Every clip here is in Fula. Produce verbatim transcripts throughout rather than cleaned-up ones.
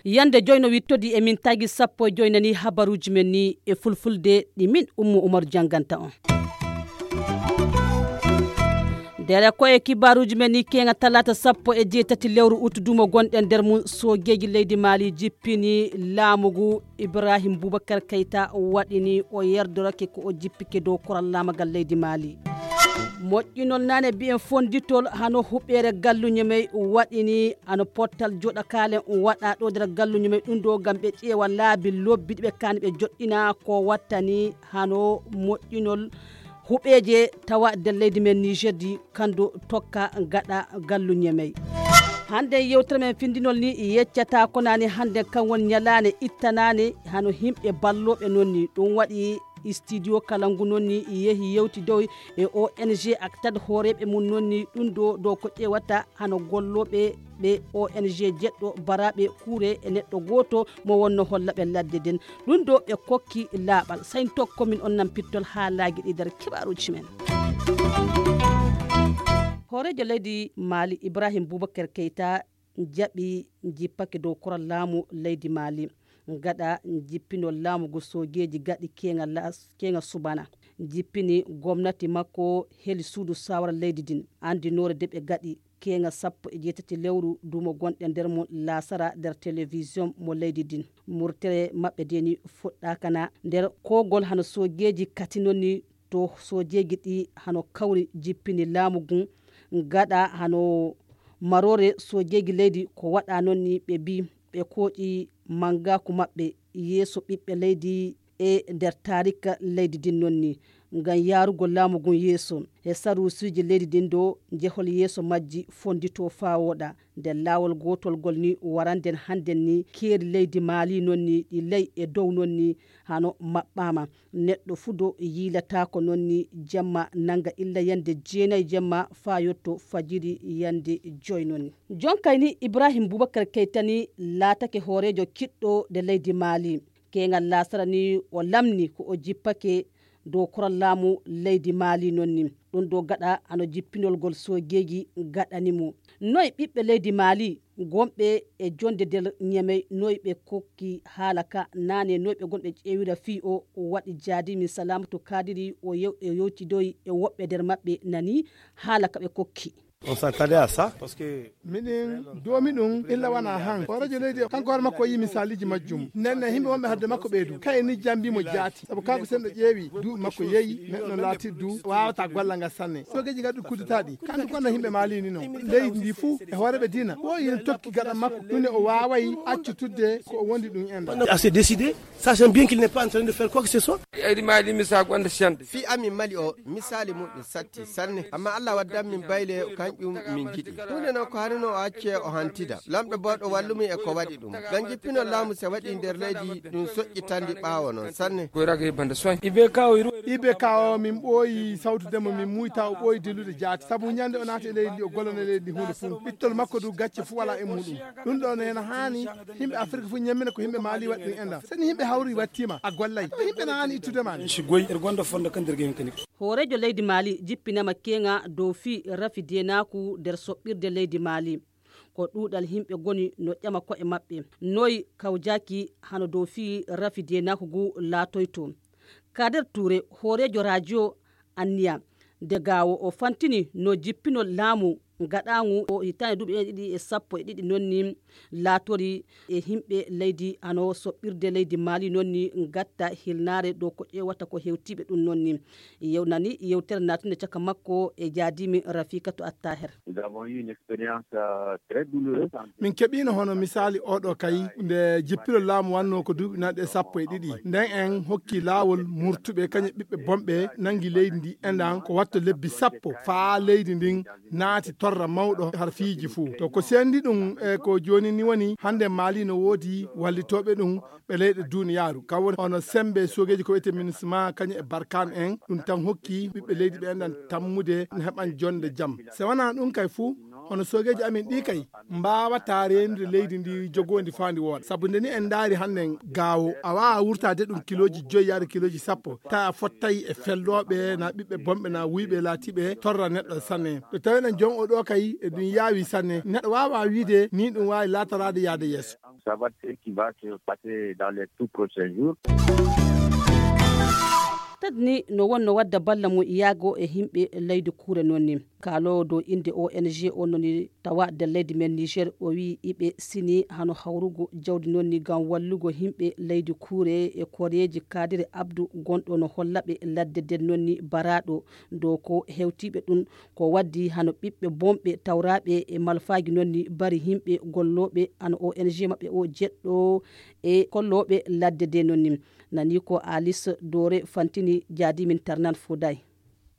Yande joyno wittodi e min tagi sappo e joynani habaruuji men ni e fulfulde ɗi min Ummu Umaru jannganta on. Ndere ko e kibaruuji men ni keŋa talaata sappo e jeetati lewru utu dumo gonɗen nder mum, soogeeji leydi Maali jippini laamu ngu Ibrahim Boubacar Keita waɗini o yerdorake ko o jippike dow koral laamagal leydi Maali. Moƴƴinol nane mbiyen fonnditol hano huɓeere galluñe mey waɗini hano pottal joɗakaale waɗa ɗo nder galluñe mey ɗum ɗo ngam ɓe ƴeewa laabi lobbi ɗi ɓe kaani ɓe joɗɗina ko wattani hano moƴƴinol huɓeeje tawa nder leydi men Niger di kando tokka gaɗa galluñe mey. Hande yewtere men findinol ni yeccata ko nani hande kan woni ñalaane ittanaane hano himɓe ballooɓe non ni ɗum waɗi studio kala ngu non ni yehi yewtidoy e O N G ak tad hooreeɓe mum non ni ɗum ɗo ɗo ko ƴeewata hano gollooɓe ɓe O N G jeɗɗo baraaɓe kuure e neɗɗo gooto mo wonno holla ɓe ladde den. Ɗum ɗo ɓe kokki laaɓal. Sayn tokko min on nan pittol haalaaji ɗi nder kibaaruuji men. Hooreejo leydi Maali Ibrahim Boubacar Keita jaɓi jippake dow koral laamu leydi Maali. Gaɗa jippinol laamu ngu soojeeji gaɗi keeŋa las-, keeŋa subana. Jippini gomnati makko heli suudu saawara leydi din. Andinoore de ɓe gaɗi keeŋa sappo e jeetati lewru duumo gonɗe nder mum laasara nder telewisiyon mo leydi din. Murtere maɓɓe de ni fuɗɗaaka na nder koogol hano soojeeji katinoni to soojeeji ɗi hano kawri jippini laamu ngun. Gaɗa hano maroore soojeeji leydi ko waɗa non ni ɓe mbi ɓe kooƴi mangaaku maɓɓe yeeso ɓiɓɓe leydi e nder taarika leydi din non ni. Ngam yaarugol laamu ngun yeeso e saruusiiji leydi din ɗo njehol yeeso majji fonnditoo faa wooɗa. Nder laawol gootol ngol ni waranden hannden ni keeri leydi Maali non ni ɗi ley e dow non ni hano maɓɓaama. Neɗɗo fuu ɗo yiilataako non ni jemma nannga illa yande jeenay jemma faa yotto fajiri yande joy non ni. Jonkay ni Ibrahim Bubakar Keyta ni laatake hooreejo kiɗɗo nde leydi Maali. Keeŋal laasara ni o lamni ko o jippake dow koral laamu leydi Maali non ni. Ɗum ɗo gaɗa hano jippinol ngol soojeeji gaɗani mo. Noy ɓiɓɓe leydi Maali gonɓe e jonde nder Ñamey, noy ɓe kokki haala ka naane, noy ɓe gonɓe ƴeewira fii o waɗi jaadimi Salamatu Kadiri o yew-, o yewtidoyi e woɓɓe nder maɓɓe nani haala ka ɓe kokki. On s'attendait à ça, parce que Miɗen doomi ɗum illa wana han. O radio leydi o, kanko hoore makko o yii misaaliji majjum. Nden ne yimɓe wonɓe hadde makko ɓeydu. Kay ni jambi mo jaati. Sabu kanko sen ɗo ƴeewi, duuɓi makko yeeyi, neɗɗo laatirdu, waawata golla ngal sanne. Soogeeji ngaɗi kudetaaji. Kanko kono yimɓe Maali ni non. Leydi ndi fuu e hooreeɓe diina. Ɓooyi en tokki gaɗa makko. Ɗum ne o waaway accutudde ko o wondi ɗum en. Assez décidé, sachant bien qu'il n'est pas en train de faire quoi que ce soit. Eydi Maali mi sa gonda sende. Fii amin Mali o, misaali muɗum satti sanne. Amma Allah waddan min bayle, kanƴum min njiɗi. Huunde non ko harino o acce o hantida. Lamɗo booɗo wallumi e ko waɗi ɗum. Ngam jippinol laamu se waɗi nder leydi, ɗum soƴƴitandi ɓaawo non sanne. Koy ragay banda soy. Ibe kawo iru. Ibe kawo min ɓooyi sawtude mo, min muyta o ɓooyi dillude jaati. Sabu ñande o naati e leydi ndi, o gollana leydi ndi huunde fuu. Ɓittol makko du gacce fuu wala e muɗum. Ɗum ɗo ne ena haani. Yimɓe Afirka fof ñammina ko yimɓe Maali waɗi ɗum enɗam. So ni yimɓe hawri wattiima, a gollay. Yimɓe na haani ittude ma ni. Si goy, er gonda fonda kan nder gemi kani. Hooreejo leydi Maali jippinama keeŋa dow fii rafi deenaaku nder soɓɓirde leydi Maali. Ko ɗuuɗal yimɓe goni no ƴama ko'e maɓɓe. Noy kawjaaki hano dow fii rafi deenaaku ngu laatoyto. Kader Tuure, hooreejo rajo Anniya, nde gaawo o fantini no jippinol laamu gaɗaangu o hitaande duuɓi ɗiɗi e sappo e ɗiɗi non ni laatori e yimɓe leydi hano soɓɓirde leydi Maali non ni gatta hilnaare dow ko ƴeewata ko hewtiiɓe ɗum non ni. Yewnani yewtere naatunde caka makko e jaadimi Rafikatu Attaher. Nous avons eu une expérience, euh, très douloureuse. Min keɓiino hono misaali oɗo kay, nde jippiro laamu wannoo ko duuɓi naɗe sappo e ɗiɗi. Nden en hokki laawol murtuɓe kañe ɓiɓɓe bonɓe nangi leydi ndi enɗan ko watto lebbi sappo faa leydi ndin naati torra mawɗo har fiiji fuu. To ko sendi ɗum e ko jooni ni woni hannde Maali no woodi wallitooɓe ɗum ɓe leyɗe duuniyaaru. Kam woni hono sembe soogeeji ko wiyetee MINUSMA kañum e Barkhane en, ɗum tan hokki ɓiɓɓe leydi ɓe enɗan tammude no heɓan jonde jam. Se wanaa ɗum kay fuu, Hono soogeeji amin ɗi kay, mbaawataa reenude leydi ndi jogoondi faa ndi wooɗa. Sabu nde ni en ndaari hannden gaawo, a waawaa wurtaade ɗum kilooji joyi yaade kilooji sappo, tawa a fottay e fellooɓe, na ɓiɓɓe bonɓe, na wuyɓe laatiiɓe torra neɗɗo sanne. Ɗo tawi enen joom o ɗo kay, e ɗum yaawi sanne. Neɗɗo waawaa wiide ni ɗum waawi laatoraade yaade yeeso. Ça va être ce qui va se passer dans les tout prochains jours. Tadni no wonno wadda balla mum yaago e himɓe leydi kuure noon ni. Kaaloowo dow innde O N G o noon ni tawa nder leydi men Niger, o wiyi iɓe sini hano hawrugo jawdi noon ni ngam wallugo himɓe leydi kuure e koreeji. Kadiri Abdu gonɗo no holla ɓe ladde nden noon ni baraaɗo dow ko hewtiiɓe ɗum, ko waddi hano ɓiɓɓe bonɓe tawraaɓe e malfaaji noon ni bari himɓe gollooɓe hano O N G maɓɓe o jeɗɗo e kollooɓe ladde de noon ni. Nani ko Alice Dore fantini jaadi min tarnan fuday.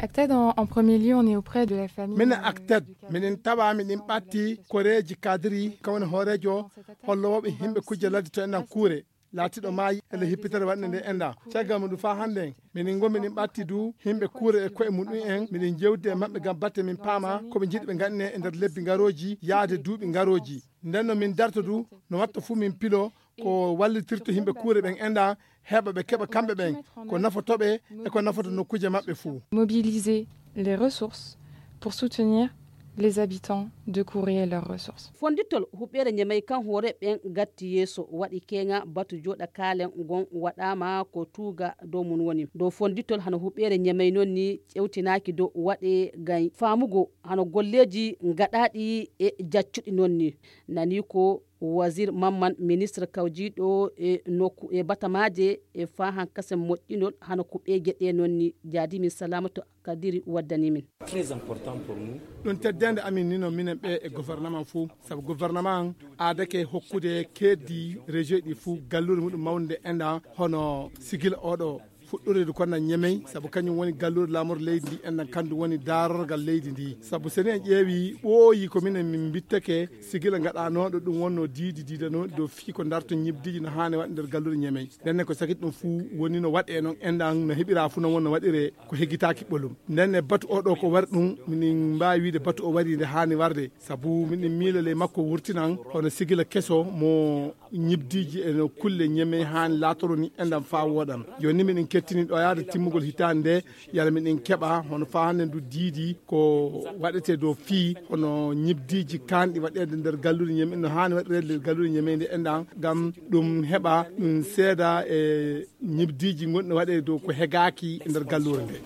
Acted en, en premier lieu, on est auprès de la famille. Minen Acted, minen tawa minen ɓatti koreeji kadiri kawani hooreejo hollooɓe himɓe kujje ladde to enɗan kuure laatiɗo maayi ele hippitere waɗnde nde enɗan. Caggal mum ɗum faa hannden minen ngo minen ɓatti du himɓe kuure e koye mum ɗum en minen jewdi e maɓɓe ngam batte min paama ko ɓe njiɗi ɓe ngaɗine e nder lebbi ngarooji yaade duuɓi ngarooji. Nden no min darto du no watta fuu min pilo ko wallitirto yimɓe kuure ɓen enɗan heɓa ɓe keɓa kamɓe ɓen ko nafoto ɓe e ko nafoto nokkuuje maɓɓe fuu. Mobiliser les ressources pour soutenir les habitants de Kouré et leurs ressources. Fonditol huɓeere ñemey kan hoore ɓen gatti yeeso waɗi keŋa batu jooɗa kaalen ngon waɗaama ko tuuga dow mun woni dow fonditol hano huɓeere ñemey non ni ƴewtinaaki dow waɗe gay faamugo hano golleeji ngaɗaaɗi e jaccuɗi non ni. Nani ko Wazir Mamman, ministre kawjiiɗo e nokku e batamaaje e faa hankasen moƴƴinol hano ko ɓeeje ɗe non ni. Jaadi min Salamatu Kadiri waddani min. Très important pour nous. Ɗum teddende amin ni no minen ɓe e gouvernement fuu, sabu gouvernement aadake hokkude keeddi région ɗi fuu galluure muɗum mawnde enɗan hono sigila oɗo fuɗɗoreede ko na ñemey, sabu kañum woni galluure laamorde leydi ndi, enɗan kandu woni daarorgal leydi ndi. Sabu so en ƴeewi ɓooyi ko minen min mbittake sigila ngaɗanooɗo ɗum wonno diidi diidanooɗi dow fii ko darto ñibdiiji no haani waɗ nder galluure ñemey. Ndenne ko sakit ɗum fuu woni no waɗe noon enɗan no heɓira fuu no wonno waɗire ko heggitaaki ɓolum. Ndenne batu oɗo ko wari ɗum minin mbaawi wiide batu o wari nde haani warde, sabu minin miila ley makko wurtinan hono sigila keso mo ñibdiiji e no kulle ñeme haani laatoro ni enɗan faa wooɗan. Jooni minin kettini ɗo yaade timmugol hitaande nde, yala minin keɓa hono faa hannde ndu diidi ko waɗete dow fii hono ñibdiiji kaanɗi waɗeede nder galluure ñeme, no haani waɗireede nder galluure ñeme nde enɗan, ngam ɗum heɓa ɗum seeda e ñibdiiji gonɗi waɗeede dow ko hegaaki e nder galluure nde.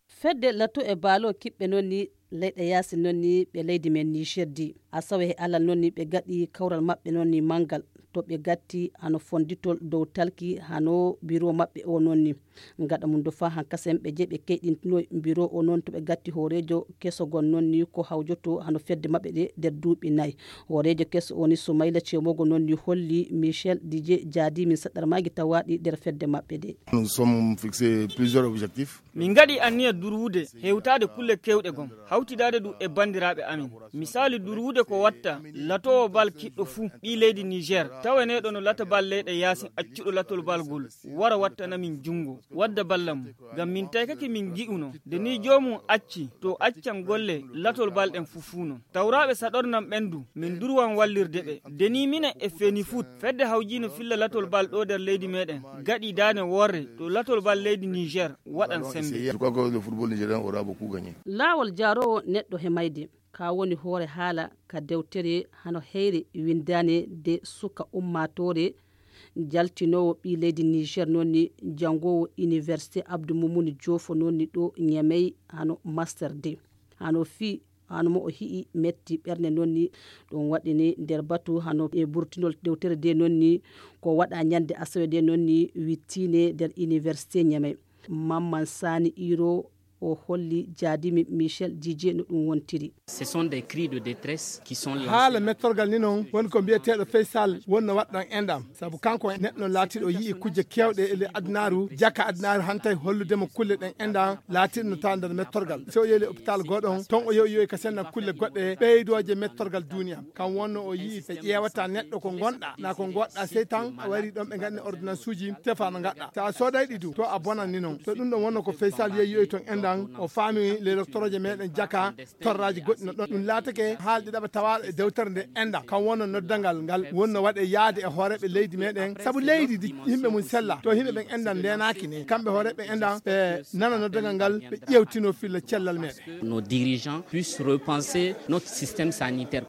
Fedde Lato e Baalo kiɓɓe noon ni leyɗe yaasi noon ni ɓe leydi men Niger di. Asawe e alal noon ni ɓe gaɗi kawral maɓɓe noon ni manngal to ɓe gatti hano fonditol dow talki hano biro maɓɓe o noon ni. Gaɗa mum do faa hankasen ɓe je ɓe keyɗintinoy biro o noon to ɓe gatti hooreejo keso gon noon ni ko hawjoto hano fedde maɓɓe ɗe nder duuɓi nay. Hooreejo keso o ni Sumayla Cemogo noon ni holli Michel Didier Jaadi min saɗɗarmaaji tawaaɗi nder fedde maɓɓe ɗe. Nous sommes fixés plusieurs objectifs. Min ngaɗi anniya durwude hewtaade kulle keewɗe gom, hawtidaade du e banndiraaɓe amin. Misaali durwude ko watta latoowo bal kiɗɗo fuu ɓii leydi Niger, tawaneeɗo no lata bal leyɗe yaasin accuɗo latol bal gol, wara wattana min junngo, wadda balla mum. Ngam min taykake min ngi'uno, nde nii joomum acci, to accan golle latol bal ɗen fuu fuu non. Tawraaɓe saɗornan ɓen du, min durwan wallirde ɓe. Nde nii minen e Fenifut, fedde hawjiino filla latol bal ɗo nder leydi meɗen, gaɗi daane worre to latol bal leydi Niger waɗan sembe. Je crois que le football nigérien aura beaucoup gagné. Laawol jaaroowo neɗɗo he mayde, ka woni hoore haala ka dewtere hano heyre windaane de suka ummaatoore, jaltinoowo ɓii leydi Niger noon ni janngoowo Université Abdou Moumouni Diofo noon ni ɗo Niamey hano master de. Hano fii hano mo o hi'i metti ɓernde noon ni. Ɗum waɗi ni nder batu hano e burtinol dewtere de noon ni ko waɗa ñande asawe de noon ni wittiine nder Université Niamey. Mamman Sani Iro o holli jaadimi Michel Didier no ɗum wontiri. Ce sont des cris de détresse qui sont lancés. Haala mettorgal ni noon woni ko mbiyeteeɗo Faysal wonno waɗɗon enɗam. Sabu kanko neɗɗo laatiiɗo yi'i kujje keewɗe e ley adunaaru, jaka adunaaru hantay hollude mo kulle ɗen enɗam laatiiɗe no tawa nder mettorgal. So o yehi ley opitaal gooɗon, ton o yehi, o yehi ka senna kulle goɗɗe ɓeydooje mettorgal duuniya. Kam wonno o yi'i ɓe ƴeewata neɗɗo ko ngonɗa, na ko ngoɗɗa, sey tan a wari ɗon ɓe ngaɗni ordonnance uji, tefa no ngaɗɗa. So a sooday ɗi du, to a bonan ni noon. To ɗum ɗon wonno ko Faysal yehi yohi ton enɗam, O faami le doctorooje meɗen jaka torraaji goɗɗi no ɗon. Ɗum laatake haalɗi ɗaɓa tawaaɗo e dewtere nde enda kam wonno noddangal ngal wonno waɗe yaade e hooreeɓe leydi meɗen sabu leydi ndi yimɓe mum sella to yimɓe ɓen endan ndenaaki ne kamɓe hooreeɓe endan ɓe nana noddangal ngal ɓe ƴewtino filla cellal meɗen. Nos dirigeants puissent repenser notre système sanitaire.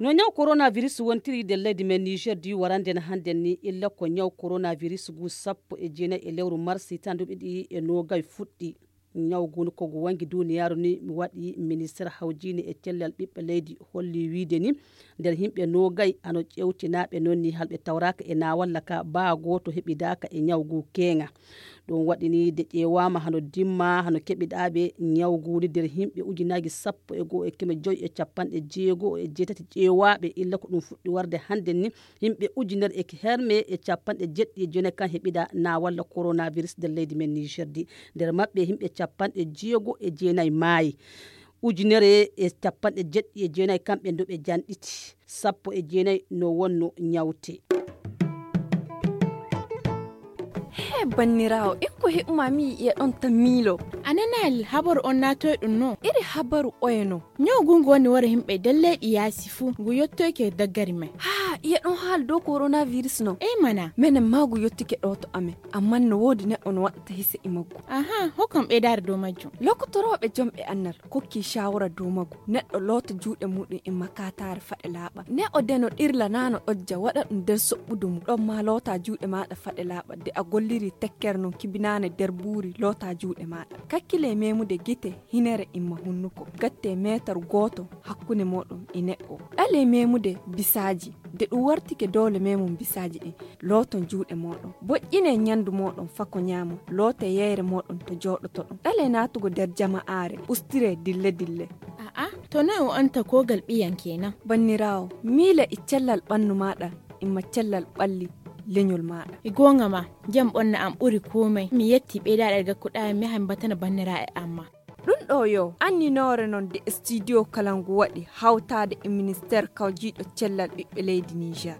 No ñaw coronavirus wontiri nder leydi men niger di warande no hannden ni illa ko ñaw coronavirus ngu sappo e jeenayi e lewru mars tan duɓiɗi e noogay fuɗɗi. Ñaw ngu ko ngu wangi duniyaaru ni mi waɗi minister hawjini e cellal ɓiɓɓe leydi holli wiide ni nder yimɓe noogay hano ƴewtinaaɓe noon ni halɓe tawraaka e naawalla ka baa gooto heɓidaaka e ñaw ngu keeŋa. Ɗum waɗi ni de ƴeewaama hano dimma hano keɓiɗaaɓe ñaw ngu ni nder yimɓe ujunaaji sappo e goo e keme joy e capanɗe jeego e jeetati ƴeewaaɓe illa ko ɗum fuɗɗi warde hannden ni yimɓe ujunere e herme e capanɗe jeɗɗi e joynayi kan heɓida naawalla coronavirus nder leydi men niger di. Nder maɓɓe yimɓe capanɗe jeego e jeenayi maayi. Ujunere e capanɗe jeɗɗi e jeenayi kamɓe ndoɓe janɗiti sappo e jeenayi no wonno ñawte. He banniraawo, ikko heɓuma mi yiya ɗon tan miilo. A nanaali habaru on naatoy ɗum no? Iri habaru oye no? Ñaw ngu ngu woni wara yimɓe nder leyɗi yaasi fuu, ngu yottoyke daggari men. Haa, iya ɗon haali dow coronavirus no? Ey mana. Menen maa ngu yottike ɗo to amen, ammaa no woodi neɗɗo no waɗata hise e maggu. Aha, hokkam ɓeydaare dow majjum. Lokotorooɓe jomɓe annal kokki shawara dow maggu. Neɗɗo loota juuɗe muɗum e makataare faɗe laaɓa. Neɗɗo de no ɗirla naa no ɗojja waɗa ɗum nder soɓɓudu mum. Ɗon maa loota juuɗe maaɗa faɗe laaɓa de a golliri tekkere non kibinaane nder buuri loota juuɗe maaɗa. Kakkile memude gite, hinere imma hunnuko. Gatte meetar gooto hakkunde mooɗon e neɗɗo. Ɗale memude bisaaji. De ɗum wartike doole memum bisaaji ɗin, looton juuɗe mooɗon. Boƴƴine ñandu mooɗon fako ñaamon. Loote yeyre mooɗon to jooɗotoɗon. Ɗale naatugo nder jama'aare, ustire dille dille. A'a, to noy o anta kogal ɓiyan kenan? Banniraawo, miile e cellal ɓannu maaɗa, imma cellal ɓalli leñol maaɗa. E goonga ma, jam ɓonna am ɓuri komai. Mi yetti ɓeydaɗe gakkuɗa mi yaha mi batana banniraaɓe amma. Ɗum ɗo yo anninoore non de studio kala ngu waɗi hawtaade e ministeer kawjiiɗo cellal ɓiɓɓe leydi Niger.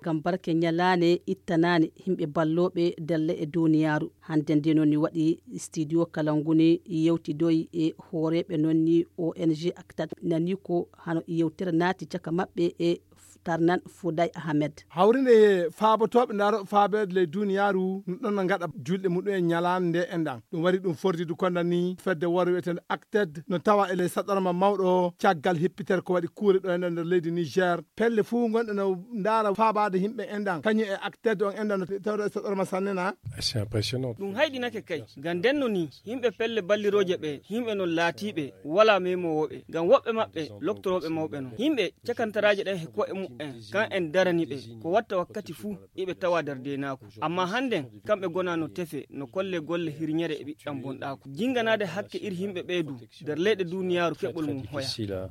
Ngam barke ñalaande ittanaande yimɓe ballooɓe dalle e duniyaaru. Hannde nde noon ni waɗi studio kala ngu ni yewtidoyi e hooreeɓe noon ni O N G Actad nani ko hano yewtere naati caka maɓɓe e Tarnan Fouday Ahmed. Hawrinde e faabotooɓe ndaarooɓe faabeede ley duniyaaru no ɗon no ngaɗa julɗe muɗum e ñalaande nde enɗan. Ɗum waɗi ɗum fortidu konda ni fedde worre wiyeteende Acted no tawa e ley saɗorma mawɗo caggal hippitere ko waɗi kuure ɗo enɗan nder leydi Niger. Pelle fuu gonɗe no ndaara faabaade yimɓe enɗan kañum e Acted on enɗan no tawde e saɗorma sanne na. C'est impressionnant. Ɗum hayɗinake kay ngam ndenno ni yimɓe pelle ballirooje ɓe yimɓe non laatiiɓe wala memoowo ɓe ngam woɓɓe maɓɓe loktorooɓe mawɓe non yimɓe cakantaraaje ɗen he ko'e muɓɓen kan en darani ɓe ko watta wakkati fuu iɓe tawa nder deenaaku. Amma hannden kamɓe gona no tefe no kolle golle hirñere e ɓiɗɗam bonɗaaku. Jinnganaade hakke ir yimɓe ɓee du nder leyɗe duniyaaru keɓol mum hoya.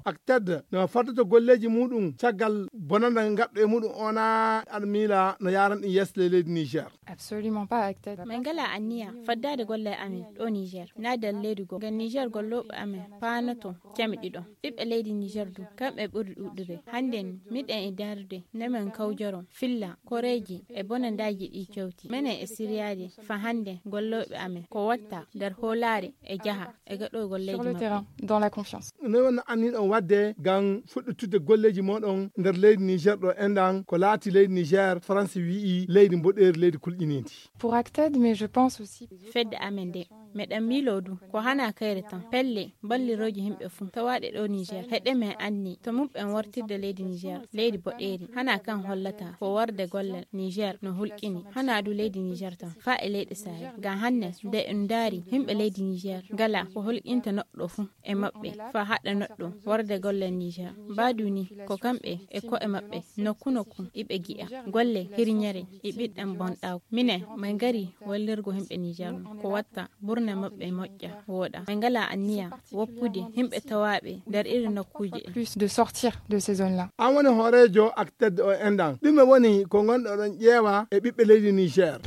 Acted no faddoto golleeji muɗum caggal bonanda ngaɗɗo e muɗum ona aɗa miila no yaran ɗum yeeso ley leydi Niger. Absolument pas Acted. Min ngala anniya faddaade golle amen ɗo Niger na nder leydi goo ngam Niger gollooɓe amen paanoto cami ɗiɗo. Ɓiɓɓe leydi Niger du kamɓe ɓuri ɗuɗude. Hannden miɗen e daarude no min kawjoron filla koreeji e bonandaaji ɗi kewti. Menen e siryaade fa hannden gollooɓe amen ko watta nder hoolaare e jaha e gaɗoygol leydi maɓɓe. Dans la confiance. Noy wonno anniɗon waɗde ngam fuɗɗitudde golleeji mooɗon nder leydi Niger ɗo enɗan ko laati leydi Niger France wi'i leydi mboɗeeri leydi kulƴiniindi. Pour Acted mais je pense aussi. Fedde amen nde meɗen miilo du ko hana kayre tan pelle ballirooji yimɓe fuu tawaaɗe ɗo Niger heɗe men anni to muɓɓen wartirde leydi Niger leydi boɗeeri hana kan hollata ko warde gollal Niger no hulqini hana du leydi Niger tan fa e leyɗe Sahel ngam hannden nde en ndaari yimɓe leydi Niger ngala ko hulqinta neɗɗo fuu e maɓɓe fa haɗa neɗɗo warde gollal Niger. Mbaadu ni ko kamɓe e ko'e maɓɓe nokku nokku iɓe gi'a golle hirñere e ɓiɗɗam bonɗaaku. Minen min ngari wallirgo yimɓe Niger no ko watta Ina maɓɓe moƴƴa wooɗa. Ɓe ngalaa anniya woppude yimɓe tawaaɓe nder iri nokkuuje ɗe. Plus de sortir de ces zones là. An woni hooreejo ak tedde o enɗan, ɗume woni ko ngonɗo ɗon ƴeewa e ɓiɓɓe leydi Niger?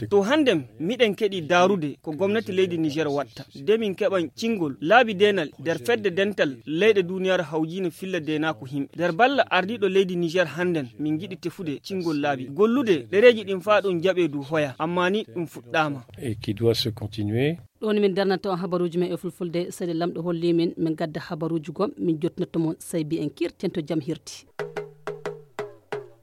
To hannden miɗen keɗi daarude ko gomnati leydi Niger watta de min keɓan cingol laabi deenal nder fedde dental leyɗe duniyaaru hawjiinde filla deenaaku yimɓe nder balla ardiiɗo leydi Niger hannden min ngiɗi tefude cingol laabi gollude ɗereeji ɗin faa ɗum jaɓee du hoya amma ni ɗum fuɗɗaama. Et qui doit se continuer. Ɗoon min darnata on habaruuji men e fulfulde seeɗa lamɗo holli min min gadda habaruuji gom min jottinotto mon saybi en kirten to jam hirti.